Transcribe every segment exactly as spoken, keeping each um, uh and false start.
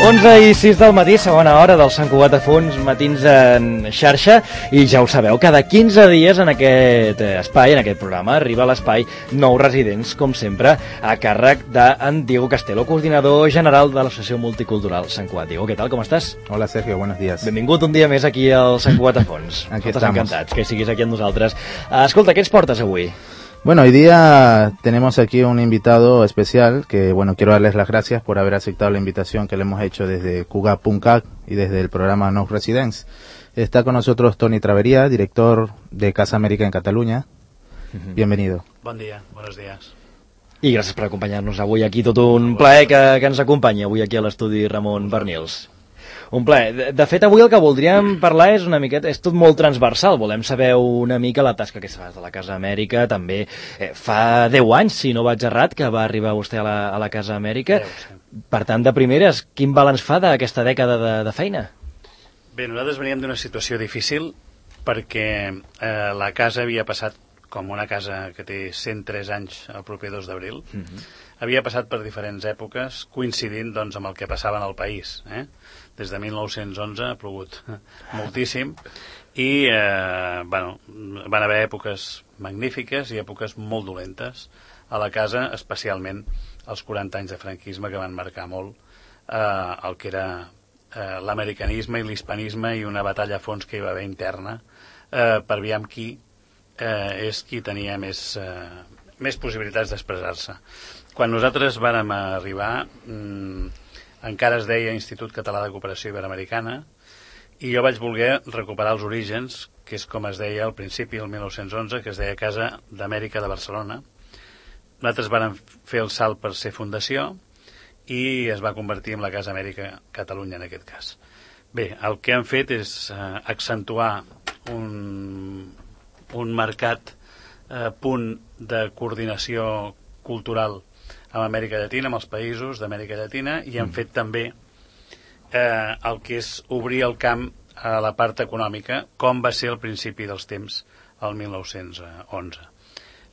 onze i sis del matí, segona hora del Sant Cugat a Fons, matins en xarxa, i ja ho sabeu, cada quinze dies en aquest espai, en aquest programa, arriba a l'espai Nou Residents, com sempre, a càrrec d'en Diego Castelo, coordinador general de l'Associació Multicultural Sant Cugat. Diego, què tal, com estàs? Hola, Sergio, buenos días. Benvingut un dia més aquí al Sant Cugat a Fons. Aquí Nosaltres estamos. encantats que siguis aquí amb nosaltres. Escolta, què ens portes avui? Bueno, hoy día tenemos aquí un invitado especial que, bueno, quiero darles las gracias por haber aceptado la invitación que le hemos hecho desde Cugat punto cat y desde el programa Nou Residents. Está con nosotros Toni Travería, director de Casa América en Cataluña. Uh-huh. Bienvenido. Bon dia, buenos días. I gràcies per acompanyar-nos avui aquí, tot un plaer que, que ens acompanyi avui aquí a l'estudi Ramon Bernils. Un plaer. De, de fet, avui el que voldríem parlar és una miqueta, és tot molt transversal, volem saber una mica la tasca que es fa de la Casa Amèrica, també eh, fa deu anys, si no vaig errat, que va arribar vostè a la, a la Casa Amèrica. deu, sí. Per tant, de primeres, quin balanç fa d'aquesta dècada de, de feina? Bé, nosaltres veníem d'una situació difícil perquè eh, la casa havia passat, com una casa que té cent tres anys el proper dos d'abril, uh-huh. havia passat per diferents èpoques coincidint doncs, amb el que passava en el país. Eh? Des de mil nou-cents onze ha plogut moltíssim i eh, bueno, van haver èpoques magnífiques i èpoques molt dolentes a la casa, especialment els quaranta anys de franquisme que van marcar molt eh, el que era eh, l'americanisme i l'hispanisme i una batalla a fons que hi va haver interna eh, per aviam qui eh, és qui tenia més, eh, més possibilitats d'expressar-se. Quan nosaltres vàrem arribar mmm, encara es deia Institut Català de Cooperació Iberoamericana i jo vaig voler recuperar els orígens, que és com es deia al principi, el mil nou-cents onze, que es deia Casa d'Amèrica de Barcelona. Nosaltres vàrem fer el salt per ser fundació i es va convertir en la Casa Amèrica Catalunya en aquest cas. Bé, el que hem fet és eh, accentuar un, un marcat eh, punt de coordinació cultural amb Amèrica Llatina, amb els països d'Amèrica Llatina, i hem fet també eh, el que és obrir el camp a la part econòmica, com va ser al principi dels temps, el mil nou-cents onze.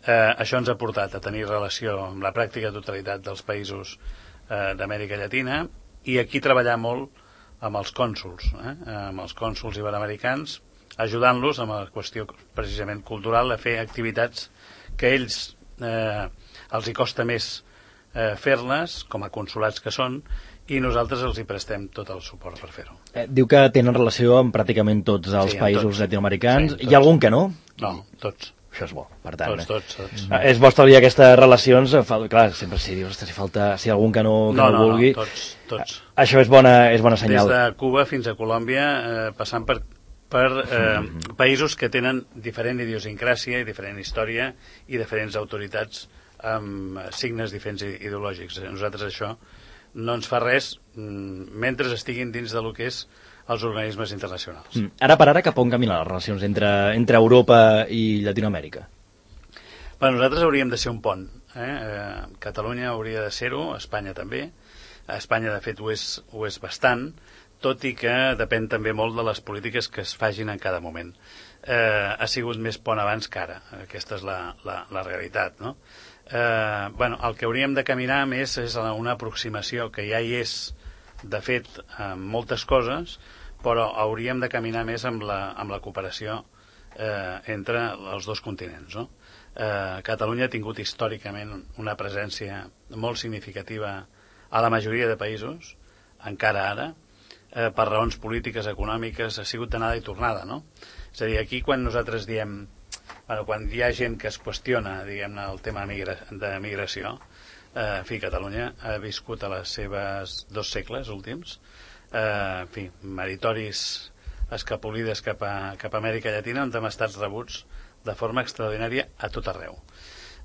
Eh, això ens ha portat a tenir relació amb la pràctica totalitat dels països eh, d'Amèrica Llatina, i aquí treballar molt amb els cònsols, eh, amb els cònsols iberoamericans, ajudant-los amb la qüestió precisament cultural, a fer activitats que ells eh, els hi costa més Eh, fer-les, com a consulats que són, i nosaltres els hi prestem tot el suport per fer-ho. Eh, diu que tenen relació amb pràcticament tots els sí, països tots. Llatinoamericans. Sí, hi ha algun que no? No, tots. Això és bo, per tant. Tots, tots, tots. Eh, és bo establir aquestes relacions, fa, clar, sempre si dius, si falta, si hi ha algun que no, que no, no, no vulgui... No, tots, tots. Eh, això és bona, és bona senyal. Des de Cuba fins a Colòmbia, eh, passant per per eh, mm-hmm. països que tenen diferent idiosincràsia i diferent història i diferents autoritats amb signes diferents ideològics. Nosaltres això no ens fa res mentre estiguin dins del que és els organismes internacionals. Mm. Ara per ara, cap on caminen les relacions entre, entre Europa i Llatinoamèrica? Bueno, nosaltres hauríem de ser un pont. Eh? Eh, Catalunya hauria de ser-ho, Espanya també. Espanya, de fet, ho és, ho és bastant, tot i que depèn també molt de les polítiques que es fagin en cada moment. Eh, ha sigut més pont abans que ara. Aquesta és la, la, la realitat, no? Eh, bueno, el que hauríem de caminar més és una aproximació que ja hi és, de fet, en moltes coses, però hauríem de caminar més amb la, amb la cooperació eh, entre els dos continents, no? Eh, Catalunya ha tingut històricament una presència molt significativa a la majoria de països, encara ara, eh, per raons polítiques, econòmiques, ha sigut d'anada i tornada, no? És a dir, aquí quan nosaltres diem... Bueno, quan hi ha gent que es qüestiona, diguem-ne, el tema migra de migració, eh, en fi, Catalunya ha viscut a les seves dos segles últims, eh, en fi, meritoris escapolides cap a, cap a Amèrica Llatina, on hem estat rebuts de forma extraordinària a tot arreu.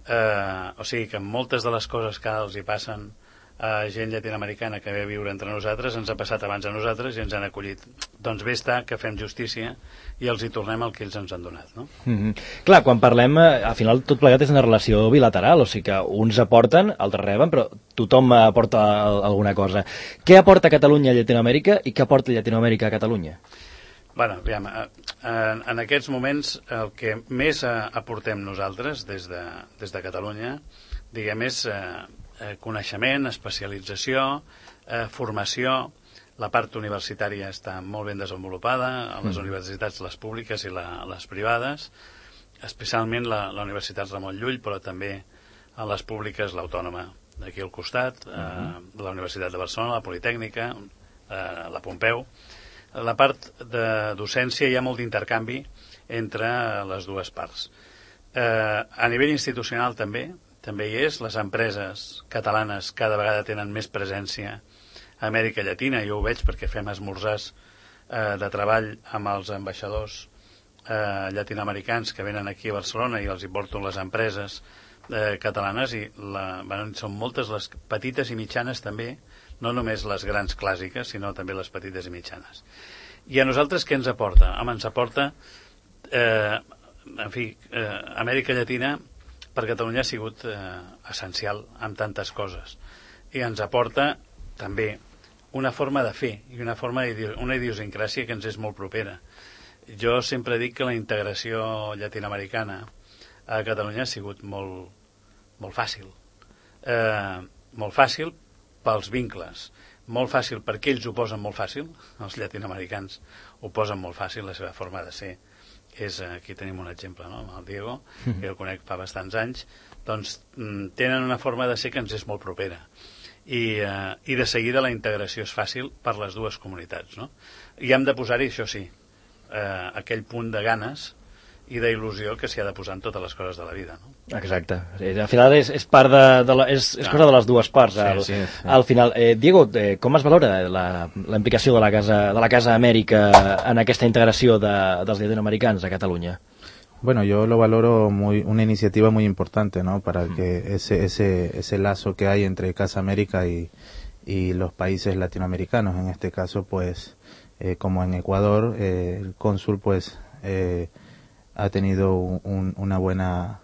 Eh, o sigui que moltes de les coses que els hi passen a gent llatinoamericana que ve a viure entre nosaltres ens ha passat abans a nosaltres i ens han acollit. Doncs bé està que fem justícia i els hi tornem el que ells ens han donat, no? Mm-hmm. Clar, quan parlem, al final tot plegat és una relació bilateral, o sigui que uns aporten, altres reben, però tothom aporta alguna cosa. Què aporta Catalunya a Llatinoamèrica i què aporta Llatinoamèrica a Catalunya? Bueno, aviam, en, en aquests moments el que més aportem nosaltres des de, des de Catalunya, diguem, és eh, coneixement, especialització, eh, formació, La part universitària està molt ben desenvolupada, a les Mm. universitats, les públiques i la, les privades, especialment la, la Universitat Ramon Llull, però també a les públiques l'Autònoma d'aquí al costat, eh, Mm-hmm. la Universitat de Barcelona, la Politècnica, eh, la Pompeu. La part de docència hi ha molt d'intercanvi entre les dues parts. Eh, a nivell institucional també, també hi és. Les empreses catalanes cada vegada tenen més presència a Amèrica Llatina. Jo ho veig perquè fem esmorzars eh, de treball amb els ambaixadors eh, llatinoamericans que venen aquí a Barcelona i els hi porto les empreses eh, catalanes i la, bueno, són moltes les petites i mitjanes també, no només les grans clàssiques, sinó també les petites i mitjanes. I a nosaltres què ens aporta? Home, ens aporta, eh, en fi, eh, Amèrica Llatina per Catalunya ha sigut eh, essencial en tantes coses. I ens aporta també una forma de fer i una forma una idiosincràsia que ens és molt propera. Jo sempre dic que la integració llatinoamericana a Catalunya ha sigut molt, molt fàcil. Eh, molt fàcil pels vincles, molt fàcil perquè ells ho posen molt fàcil, els llatinoamericans ho posen molt fàcil, la seva forma de ser és, aquí tenim un exemple, no?, amb el Diego, que el conec fa bastants anys, doncs tenen una forma de ser que ens és molt propera. I, eh, i de seguida la integració és fàcil per les dues comunitats, no? I hem de posar-hi, això sí, eh, aquell punt de ganes i d'il·lusió que s'hi ha de posar en totes les coses de la vida, no? Exacte. Al final és, és part de, de la, és, és cosa de les dues parts. Al, sí, sí, sí. al final, eh, Diego, eh, com es valora la, la implicació de la Casa de la Casa Amèrica en aquesta integració de, dels llatinoamericans a Catalunya? Bueno, yo lo valoro muy, una iniciativa muy importante, ¿no? Para que ese, ese, ese lazo que hay entre Casa América y, y los países latinoamericanos, en este caso, pues, eh, como en Ecuador, eh, el cónsul, pues, eh, ha tenido un, una buena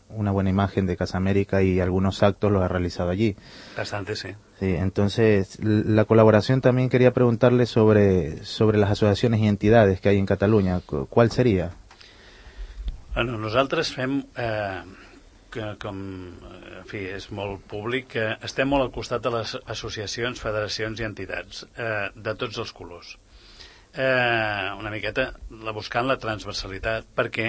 una buena imagen de Casa América y algunos actos los ha realizado allí. Bastante, sí. Sí, entonces la colaboración también quería preguntarle sobre sobre las asociaciones y entidades que hay en Cataluña. ¿Cuál sería? Bueno, nosaltres fem, eh, que, com, en fi, és molt públic, que estem molt al costat de les associacions, federacions i entitats, eh, de tots els colors. Eh, una miqueta la buscant la transversalitat perquè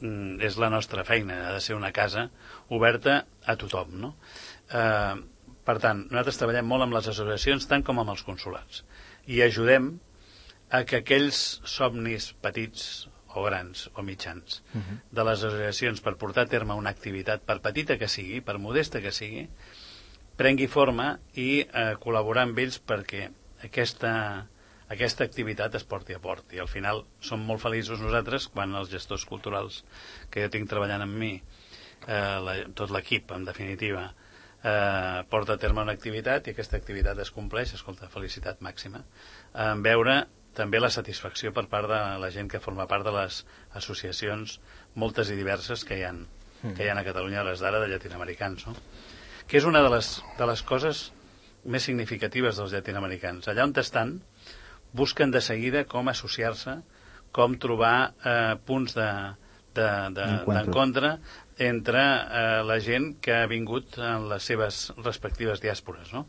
mm, és la nostra feina, ha de ser una casa oberta a tothom, no? Eh, per tant, nosaltres treballem molt amb les associacions tant com amb els consulats i ajudem a que aquells somnis petits o grans o mitjans uh-huh. de les associacions per portar a terme una activitat, per petita que sigui, per modesta que sigui, prengui forma i eh, col·laborar amb ells perquè aquesta aquesta activitat es porti a port. I al final som molt feliços nosaltres quan els gestors culturals que jo tinc treballant amb mi, eh, la, tot l'equip, en definitiva, eh, porta a terme una activitat i aquesta activitat es compleix, escolta, felicitat màxima. En veure també la satisfacció per part de la gent que forma part de les associacions moltes i diverses que hi ha, que hi ha a Catalunya a les d'ara de llatinoamericans, no? Que és una de les, de les coses més significatives dels llatinoamericans. Allà on estan, busquen de seguida com associar-se, com trobar eh, punts d'encontre de, de, entre eh, la gent que ha vingut en les seves respectives diàspores, no?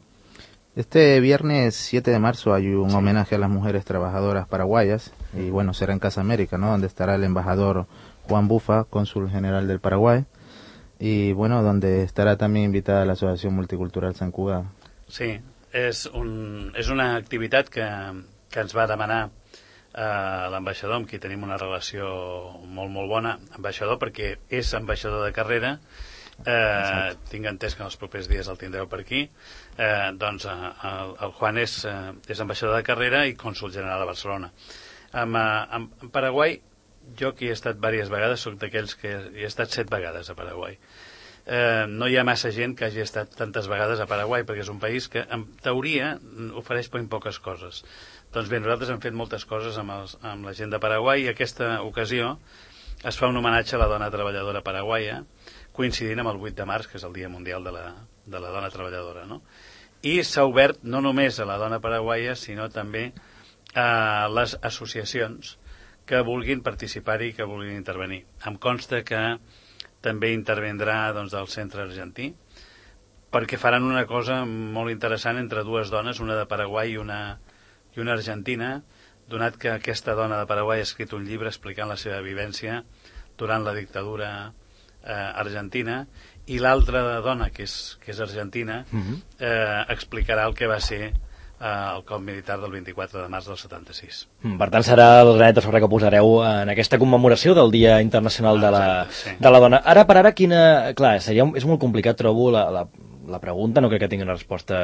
Este viernes siete de marzo hay un sí. homenaje a las mujeres trabajadoras paraguayas y bueno, será en Casa América, ¿no? Donde estará el embajador Juan Bufa, cónsul general del Paraguay, y bueno, donde estará también invitada la Asociación Multicultural Sant Cugat. Sí, és, un, és una activitat que que ens va demanar eh, l'ambaixador, amb qui tenim una relació molt, molt bona, ambaixador, perquè és ambaixador de carrera, eh, tinc entès que en els propers dies el tindreu per aquí, eh, doncs eh, el, el Juan és, eh, és ambaixador de carrera i cònsul general de Barcelona. Amb, amb, amb Paraguai, jo que hi he estat diverses vegades, soc d'aquells que hi he estat set vegades a Paraguai. Eh, no hi ha massa gent que hagi estat tantes vegades a Paraguai, perquè és un país que, en teoria, ofereix ben poques coses. Doncs bé, nosaltres hem fet moltes coses amb, els, amb la gent de Paraguai i aquesta ocasió es fa un homenatge a la dona treballadora paraguaia, coincidint amb el vuit de març, que és el Dia Mundial de la, de la Dona Treballadora, no? I s'ha obert no només a la dona paraguaia, sinó també a les associacions que vulguin participar-hi i que vulguin intervenir. Em consta que també intervindrà doncs, el Centre Argentí, perquè faran una cosa molt interessant entre dues dones, una de Paraguai i una i una argentina, donat que aquesta dona de Paraguai ha escrit un llibre explicant la seva vivència durant la dictadura eh, argentina, i l'altra dona, que és, que és argentina, uh-huh. eh, explicarà el que va ser el cop militar del vint-i-quatre de març del setanta-sis. Per tant, serà el granet de sorra que posareu en aquesta commemoració del Dia Internacional de la, Exacte, sí. de la Dona. Ara per ara, quina... Clar, seria, és molt complicat, trobo, la, la, la pregunta, no crec que tingui una resposta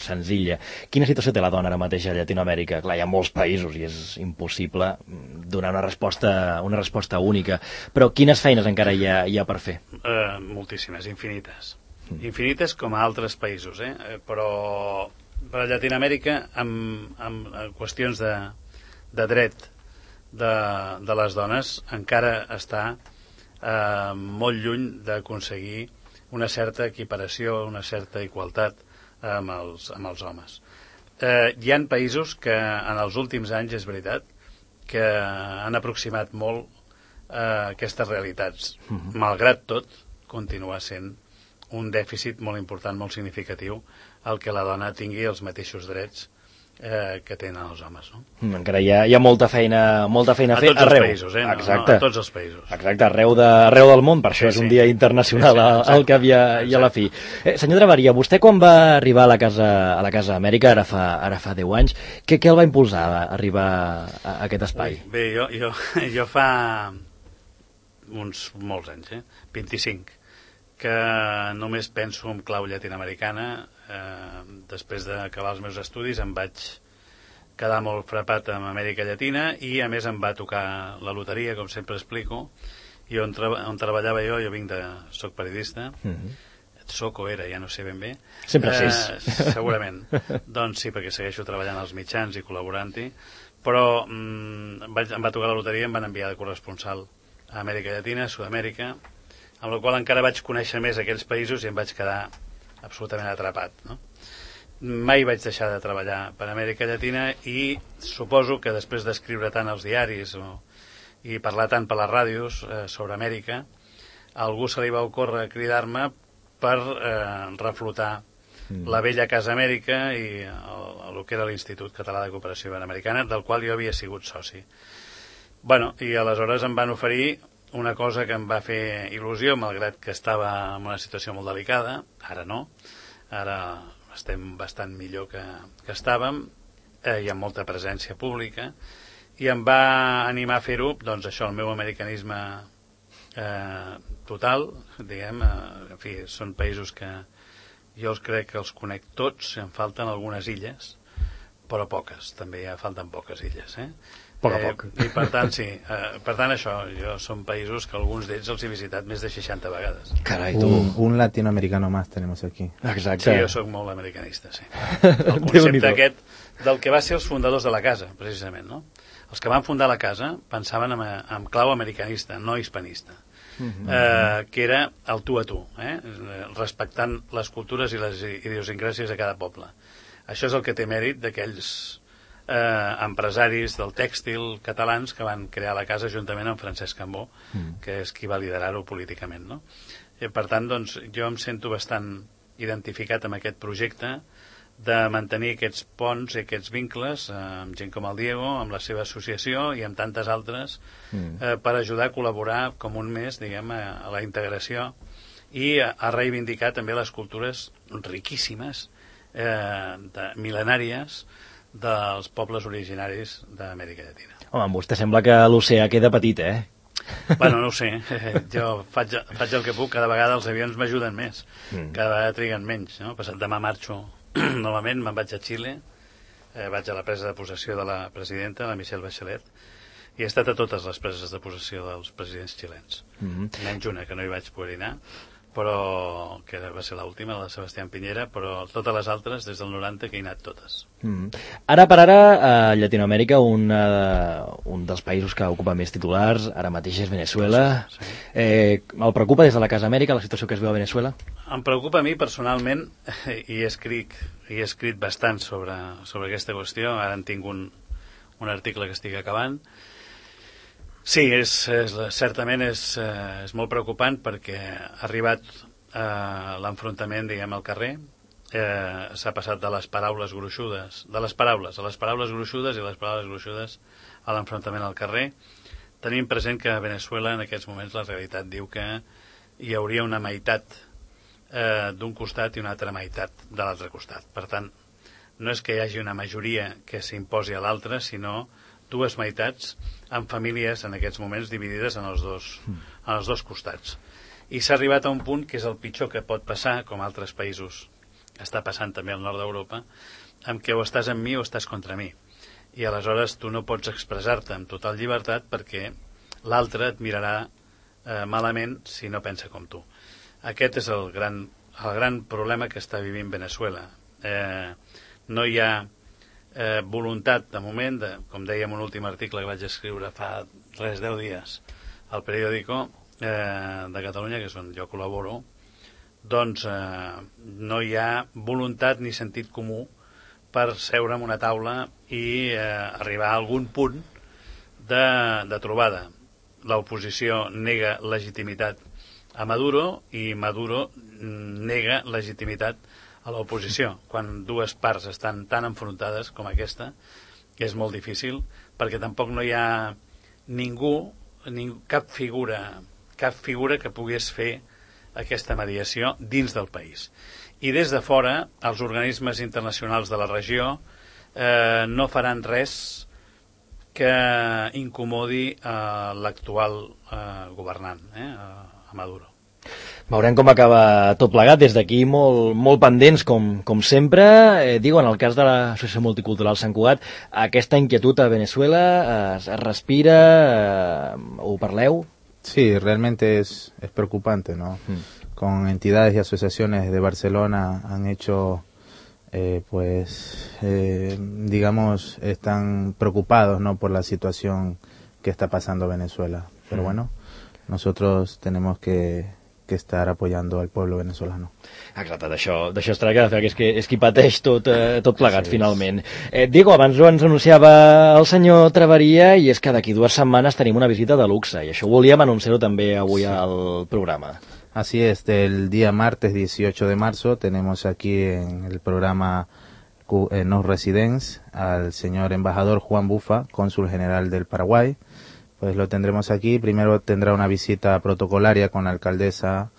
senzilla. Quina situació té la dona ara mateix a Llatinoamèrica? Clar, hi ha molts països i és impossible donar una resposta, una resposta única. Però quines feines encara hi ha, hi ha per fer? Uh, moltíssimes, infinites. Mm. Infinites com a altres països, eh? Però... Per a Llatinoamèrica, amb, amb qüestions de, de dret de, de les dones, encara està eh, molt lluny d'aconseguir una certa equiparació, una certa igualtat amb els, amb els homes. Eh, hi ha països que en els últims anys, és veritat, que han aproximat molt eh, aquestes realitats. Uh-huh. Malgrat tot, continua sent un dèficit molt important, molt significatiu, el que la dona tingui els mateixos drets eh, que tenen els homes. No? Encara hi ha, hi ha molta feina, molta feina a fer tots arreu. Els països, eh? Exacte. No, no, a tots els països. Exacte, arreu, de, arreu del món, per això sí, és un sí. dia internacional sí, sí, al cap i a, i a la fi. Eh, senyor Traveria, vostè quan va arribar a la Casa, a la Casa Amèrica, ara fa, ara fa deu anys, què, què el va impulsar a arribar a, a aquest espai? Ui, bé, jo, jo, jo fa uns molts anys, eh? vint-i-cinc, que només penso en clau llatinoamericana. Eh, després d'acabar els meus estudis em vaig quedar molt frapat amb Amèrica Llatina i a més em va tocar la loteria, com sempre explico, i on, tra on treballava jo, jo vinc de... soc periodista, mm-hmm. soc o era, ja no sé ben bé. Sempre eh, sis. Segurament. Doncs sí, perquè segueixo treballant als mitjans i col·laborant-hi, però mm, em, vaig, em va tocar la loteria i em van enviar de corresponsal a Amèrica Llatina, a Sud-amèrica, amb la qual encara vaig conèixer més aquells països i em vaig quedar absolutament atrapat, no? Mai vaig deixar de treballar per Amèrica Llatina i suposo que després d'escriure tant als diaris o, i parlar tant per les ràdios eh, sobre Amèrica, a algú se li va ocórrer cridar-me per eh, reflotar mm. la vella Casa Amèrica i el, el que era l'Institut Català de Cooperació Iberoamericana, del qual jo havia sigut soci. Bueno, i aleshores em van oferir una cosa que em va fer il·lusió, malgrat que estava en una situació molt delicada. Ara no, ara estem bastant millor que, que estàvem, eh, hi ha molta presència pública, i em va animar a fer-ho, doncs això, el meu americanisme eh, total, diguem, eh, en fi, són països que jo els crec que els conec tots, em falten algunes illes, però poques, també ja falten poques illes, eh? Poc a poc. Eh, I per tant, sí. Eh, per tant, això, jo són països que alguns d'ells els he visitat més de seixanta vegades. Carai, tu. Un, un latinoamericano más tenemos aquí. Exacte. Sí, jo sóc molt americanista, sí. El concepte aquest del que va ser els fundadors de la casa, precisament, no? Els que van fundar la casa pensaven en, en clau americanista, no hispanista. Uh-huh. eh, que era el tu a tu, eh? Respectant les cultures i les idiosincràsies de cada poble. Això és el que té mèrit d'aquells Eh, empresaris del tèxtil catalans que van crear la casa juntament amb Francesc Cambó, mm. que és qui va liderar-ho políticament, no? I per tant, doncs, jo em sento bastant identificat amb aquest projecte de mantenir aquests ponts i aquests vincles eh, amb gent com el Diego, amb la seva associació i amb tantes altres mm. eh, per ajudar a col·laborar com un mes, diguem, a, a la integració i a, a reivindicar també les cultures riquíssimes, eh, de, mil·lenàries, dels pobles originaris d'Amèrica Llatina. Home, amb vostè sembla que l'oceà queda petit, eh? Bueno, no ho sé. Jo faig, faig el que puc. Cada vegada els avions m'ajuden més. Mm. Cada vegada triguen menys, no? Passat demà marxo novament, me'n vaig a Xile, eh, vaig a la presa de possessió de la presidenta, la Michelle Bachelet, i he estat a totes les preses de possessió dels presidents xilens. Mm-hmm. Menys una, que no hi vaig poder anar, però que va ser l'última, la de Sebastián Piñera, però totes les altres, des del noranta, que he anat totes. Mm. Ara per ara, a Llatinoamèrica, un, uh, un dels països que ocupa més titulars, ara mateix és Venezuela. Sí, sí. Eh, el preocupa des de la Casa Amèrica la situació que es veu a Venezuela? Em preocupa a mi personalment, i he escrit, i he escrit bastant sobre, sobre aquesta qüestió. Ara en tinc un, un article que estic acabant. Sí, és, és, certament és, és molt preocupant perquè ha arribat eh, l'enfrontament, diguem, al carrer, eh, s'ha passat de les paraules gruixudes, de les paraules a les paraules gruixudes i les paraules gruixudes a l'enfrontament al carrer. Tenim present que a Venezuela en aquests moments la realitat diu que hi hauria una meitat eh, d'un costat i una altra meitat de l'altre costat. Per tant, no és que hi hagi una majoria que s'imposi a l'altra, sinó dues meitats amb famílies en aquests moments dividides en els dos, en els dos costats. I s'ha arribat a un punt que és el pitjor que pot passar, com altres països està passant també al nord d'Europa, en què o estàs amb mi o estàs contra mi. I aleshores tu no pots expressar-te amb total llibertat perquè l'altre et mirarà eh, malament si no pensa com tu. Aquest és el gran, el gran problema que està vivint Venezuela. Eh, no hi ha eh, voluntat de moment, de, com dèiem un últim article que vaig escriure fa res, deu dies al periòdico eh, de Catalunya, que és on jo col·laboro, doncs eh, no hi ha voluntat ni sentit comú per seure en una taula i eh, arribar a algun punt de, de trobada. L'oposició nega legitimitat a Maduro i Maduro nega legitimitat a l'oposició. Quan dues parts estan tan enfrontades com aquesta, és molt difícil, perquè tampoc no hi ha ningú, ningú cap figura, cap figura que pogués fer aquesta mediació dins del país. I des de fora, els organismes internacionals de la regió eh, no faran res que incomodi eh, l'actual eh, governant, eh, a Maduro. Veurem com acaba tot plegat. Des d'aquí molt, molt pendents, com, com sempre. Eh, digo, en el cas de l'Associació Multicultural Sant Cugat, aquesta inquietud a Venezuela eh, es respira, eh, ho parleu? Sí, realmente es, es preocupante, ¿no? Mm. Con entidades y asociaciones de Barcelona han hecho, eh, pues, eh, digamos, están preocupados, ¿no?, por la situación que está pasando Venezuela. Pero mm. bueno, nosotros tenemos que, que estar apoyando al pueblo venezolano. Exacte, d'això d'això es tracta, que és, que és qui pateix tot, eh, tot plegat, sí, finalment. Eh, Diego, abans ho ens anunciava el senyor Traveria, i és que d'aquí dues setmanes tenim una visita de luxe, i això volíem anunciar-ho també avui sí. al programa. Así es, el día martes dieciocho de marzo tenemos aquí en el programa eh, Nos Residence al señor embajador Juan Bufa, cónsul general del Paraguay. Pues lo tendremos aquí. Primero tendrá una visita protocolaria con la alcaldesa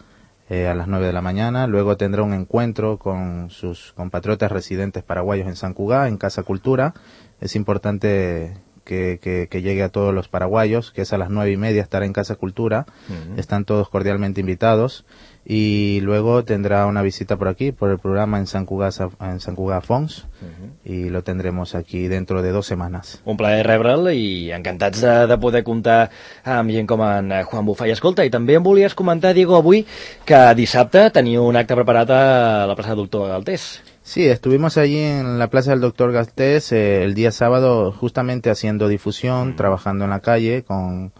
eh, a las nueve de la mañana. Luego tendrá un encuentro con sus compatriotas residentes paraguayos en San Cugat, en Casa Cultura. Es importante que, que, que llegue a todos los paraguayos, que es a las nueve y media, estará en Casa Cultura. Uh-huh. Están todos cordialmente invitados. Y luego tendrá una visita por aquí, por el programa en Sant Cugat, en Sant Cugat Fons, uh-huh. y lo tendremos aquí dentro de dos semanas. Un plaer rebre'l i encantats de, de poder comptar amb gent com en Juan Bufa. I escolta, i també em volies comentar, Diego, avui que dissabte teniu un acte preparat a la plaça del Doctor Galtés. Sí, estuvimos allí en la plaza del Doctor Galtés eh, el día sábado justamente haciendo difusión, uh-huh. trabajando en la calle con...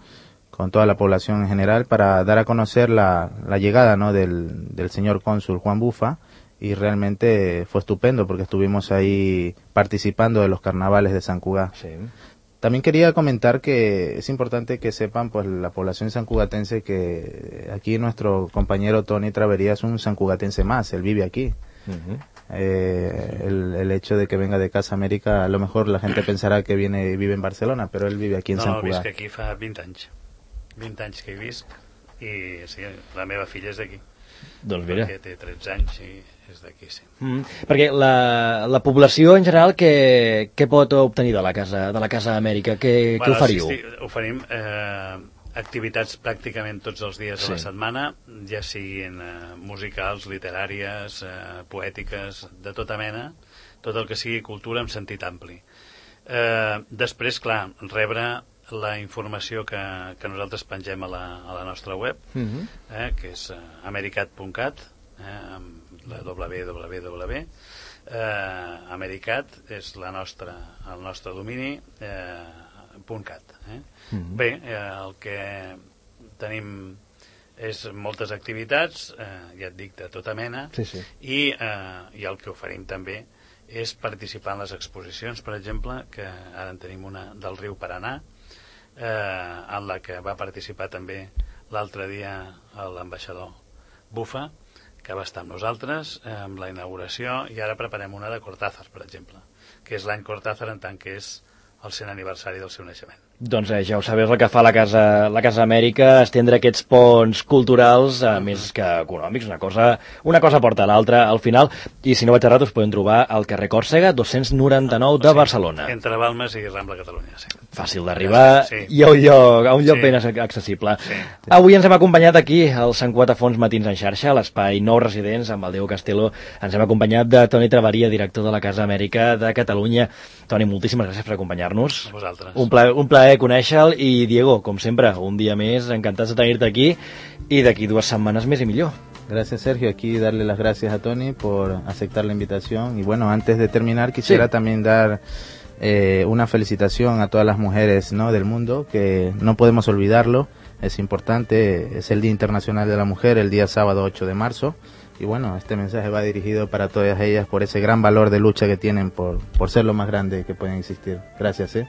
con toda la población en general, para dar a conocer la, la llegada, ¿no?, del, del señor cónsul Juan Bufa, y realmente fue estupendo porque estuvimos ahí participando de los carnavales de San Cugat. Sí. También quería comentar que es importante que sepan, pues, la población sancugatense, que aquí nuestro compañero Tony Travería es un sancugatense más, él vive aquí. Uh-huh. Eh, el, el hecho de que venga de Casa América, a lo mejor la gente pensará que viene vive en Barcelona, pero él vive aquí en no, Sant Cugat. No, visc aquí fa vint anys. vint anys que hi visc, i sí, la meva filla és d'aquí. Doncs mira. Perquè té tretze anys i és d'aquí, sí. Mm, perquè la, la població en general, què, què pot obtenir de la Casa, de la Casa Amèrica? Què, bueno, què oferiu? Sí, oferim eh, activitats pràcticament tots els dies sí. de la setmana, ja siguin eh, musicals, literàries, eh, poètiques, de tota mena, tot el que sigui cultura en sentit ampli. Eh, després, clar, rebre la informació que, que nosaltres pengem a la, a la nostra web, uh-huh. eh, que és eh, americat punt cat, eh, amb la w w w. Eh, Americat és la nostra, el nostre domini, eh, .cat. Eh. Uh-huh. Bé, eh, el que tenim és moltes activitats, eh, ja et dic, de tota mena, sí, sí. I, eh, i el que oferim també és participar en les exposicions, per exemple, que ara en tenim una del riu Paranà, Eh, en la que va participar també l'altre dia l'ambaixador Bufa, que que va estar amb nosaltres eh, amb la inauguració, i ara preparem una de Cortázar, per exemple, que és l'any Cortázar en tant que és el cent aniversari del seu naixement. Doncs eh, ja ho sabeu el que fa la Casa, la Casa Amèrica, estendre aquests ponts culturals, a mm-hmm. més que econòmics, una cosa, una cosa porta a l'altra al final, i si no vaig errat us podem trobar al carrer Còrsega dos-cents noranta-nou de Barcelona. Entre Balmes i Rambla Catalunya, sí. Fàcil d'arribar sí. i a un lloc, a un lloc sí. ben accessible. Sí. Avui ens hem acompanyat aquí, al Sant Quatafons Matins en xarxa, a l'espai Nou Residents, amb el Diego Castelo. Ens hem acompanyat de Toni Travaria, director de la Casa Amèrica de Catalunya. Toni, moltíssimes gràcies per acompanyar-nos. A vosaltres. Un plaer, un plaer conèixer-lo, i Diego, com sempre, un dia més, encantats de tenir-te aquí, y de aquí dues setmanes més y millor. Gracias, Sergio. Aquí darle las gracias a Tony por aceptar la invitación. Y bueno, antes de terminar, quisiera sí. también dar eh, una felicitación a todas las mujeres, ¿no?, del mundo, que no podemos olvidarlo. Es importante, es el Día Internacional de la Mujer, el día sábado ocho de marzo. Y bueno, este mensaje va dirigido para todas ellas por ese gran valor de lucha que tienen por, por ser lo más grande que pueden existir. Gracias, ¿eh?